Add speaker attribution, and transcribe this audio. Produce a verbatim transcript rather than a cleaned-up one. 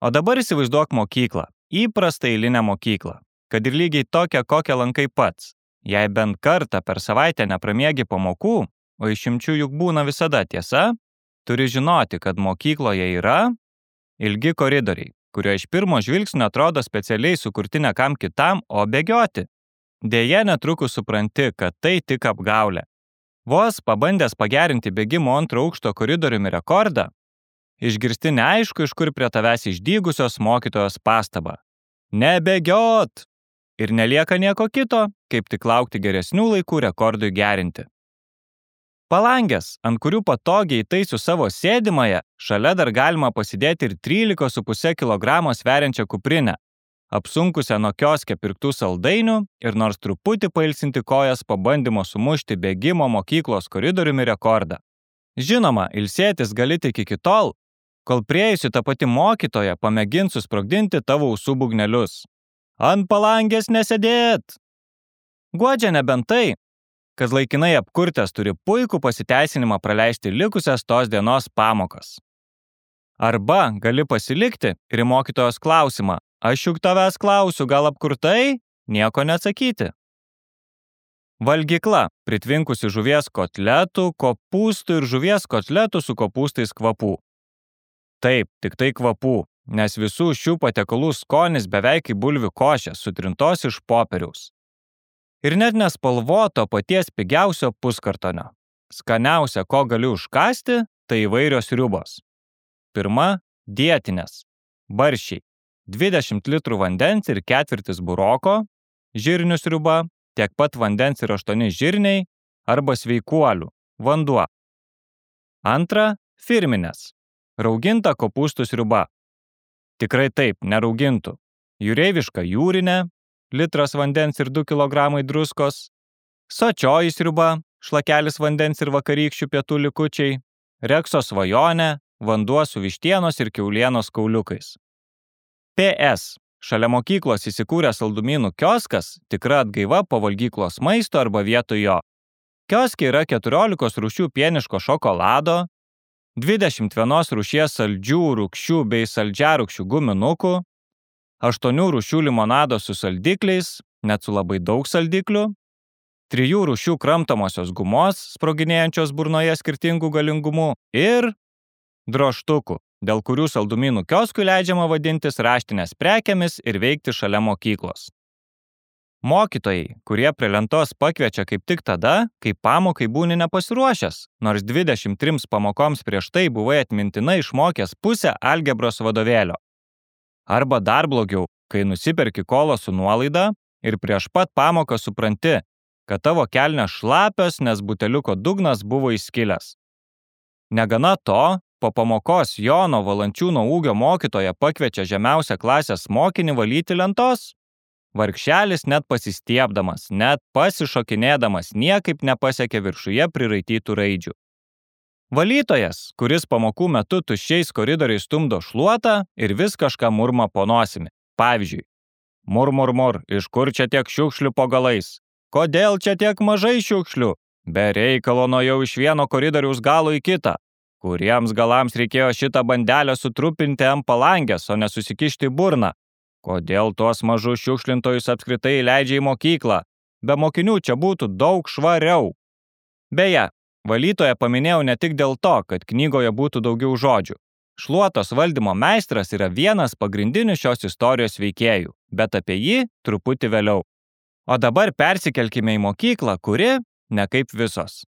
Speaker 1: O dabar įsivaizduok mokyklą, įprastą eilinę mokyklą, kad ir lygiai tokią, kokią lankai pats. Jei bent kartą per savaitę nepramiegi pamokų, o išimčių juk būna visada, tiesa, turi žinoti, kad mokykloje yra ilgi koridoriai, kurio iš pirmo žvilgsnio atrodo specialiai sukurti ne kam kitam, o bėgioti. Deja, netrukus supranti, kad tai tik apgaulė. Vos pabandęs pagerinti bėgimo antro aukšto koridoriumi rekordą, išgirsti neaišku, iš kur prie tavęs išdygusios mokytojos pastabą. Nebėgiot! Ir nelieka nieko kito, kaip tik laukti geresnių laikų rekordui gerinti. Palangės, ant kurių patogiai įtaisiu savo sėdimąją, šalia dar galima pasidėti ir trylika su puse kilogramo sveriančią kuprinę, apsunkusią nuo kioske pirktų saldainių ir nors truputį pailsinti kojas pabandymo sumušti bėgimo mokyklos koridoriumi rekordą. Žinoma, ilsėtis gali tik iki tol, kol priejusi ta pati mokytoja pamėgins susprogdinti tavo ausų būgnelius. Ant palangės nesėdėt! Guodžia nebent tai, kad laikinai apkurtęs turi puikų pasiteisinimą praleisti likusias tos dienos pamokas. Arba gali pasilikti ir į mokytojos klausimą, aš juk tavęs klausiu, gal apkurtai? Nieko neatsakyti. Valgykla, pritvinkusi žuvies kotletų, kopūstų ir žuvies kotletų su kopūstais kvapų. Taip, tik tai kvapų, nes visų šių patiekalų skonis beveik kaip bulvių košė, sutrintos iš popieriaus. Ir net nespalvoto paties pigiausio puskartonio. Skaniausia, ko gali užkasti, tai įvairios sriubos. Pirma – dietinės. Barščiai. dvidešimt litrų vandens ir ketvirtis buroko, žirnių sriuba, tiek pat vandens ir aštuoni žirniai, arba sveikuolių, vanduo. Antra – firminės. Rauginta kopūstų sriuba. Tikrai taip, neraugintų. Jūreiviška jūrinė, litras vandens ir du kilogramai druskos, sočioji sriuba, šlakelis vandens ir vakarykščių pietų likučiai, rekso svajonė, vanduo su vištienos ir kiaulienos kauliukais. P S. Šalia mokyklos įsikūręs saldumynų kioskas, tikra atgaiva po valgyklos maisto arba vietoj jo. Kioske yra keturiolikos rūšių pieniško šokolado, dvidešimt vienos rūšies saldžių, rūgščių bei saldžiarūgščių guminukų, aštuonių rūšių limonado su saldikliais, net su labai daug saldiklių, trijų rūšių kramtomosios gumos, sproginėjančios burnoje skirtingų galingumų ir drožtukų, dėl kurių saldumynų kioskui leidžiama vadintis raštinės prekėmis ir veikti šalia mokyklos. Mokytojai, kurie prie lentos pakviečia kaip tik tada, kai pamokai būni nepasiruošęs, nors dvidešimt trims pamokoms prieš tai buvai atmintinai išmokęs pusę algebros vadovėlio. Arba dar blogiau, kai nusiperki kolo su nuolaida ir prieš pat pamoką supranti, kad tavo kelnės šlapios, nes buteliuko dugnas buvo įskilęs. Negana to, po pamokos Jono Valančiūno ūgio mokytoja pakviečia žemiausią klasės mokinį valyti lentos. Vargšelis net pasistiebdamas, net pasišokinėdamas niekaip nepasiekė viršuje priraitytų raidžių. Valytojas, kuris pamokų metu tuščiais koridoriais stumdo šluotą ir vis kažką murma po nosimi. Pavyzdžiui, mur, mur, mur, iš kur čia tiek šiukšlių po galais? Kodėl čia tiek mažai šiukšlių? Be reikalo nuėjau iš vieno koridoriaus galo į kitą. Kuriems galams reikėjo šitą bandelę sutrupinti ant palangės, o nesusikišti į burną? Kodėl tuos mažus šiukšlintojus apskritai leidžia į mokyklą? Be mokinių čia būtų daug švariau. Beje, valytoją paminėjau ne tik dėl to, kad knygoje būtų daugiau žodžių. Šluotos valdymo meistras yra vienas pagrindinių šios istorijos veikėjų, bet apie jį truputį vėliau. O dabar persikelkime į mokyklą, kuri, ne kaip visos,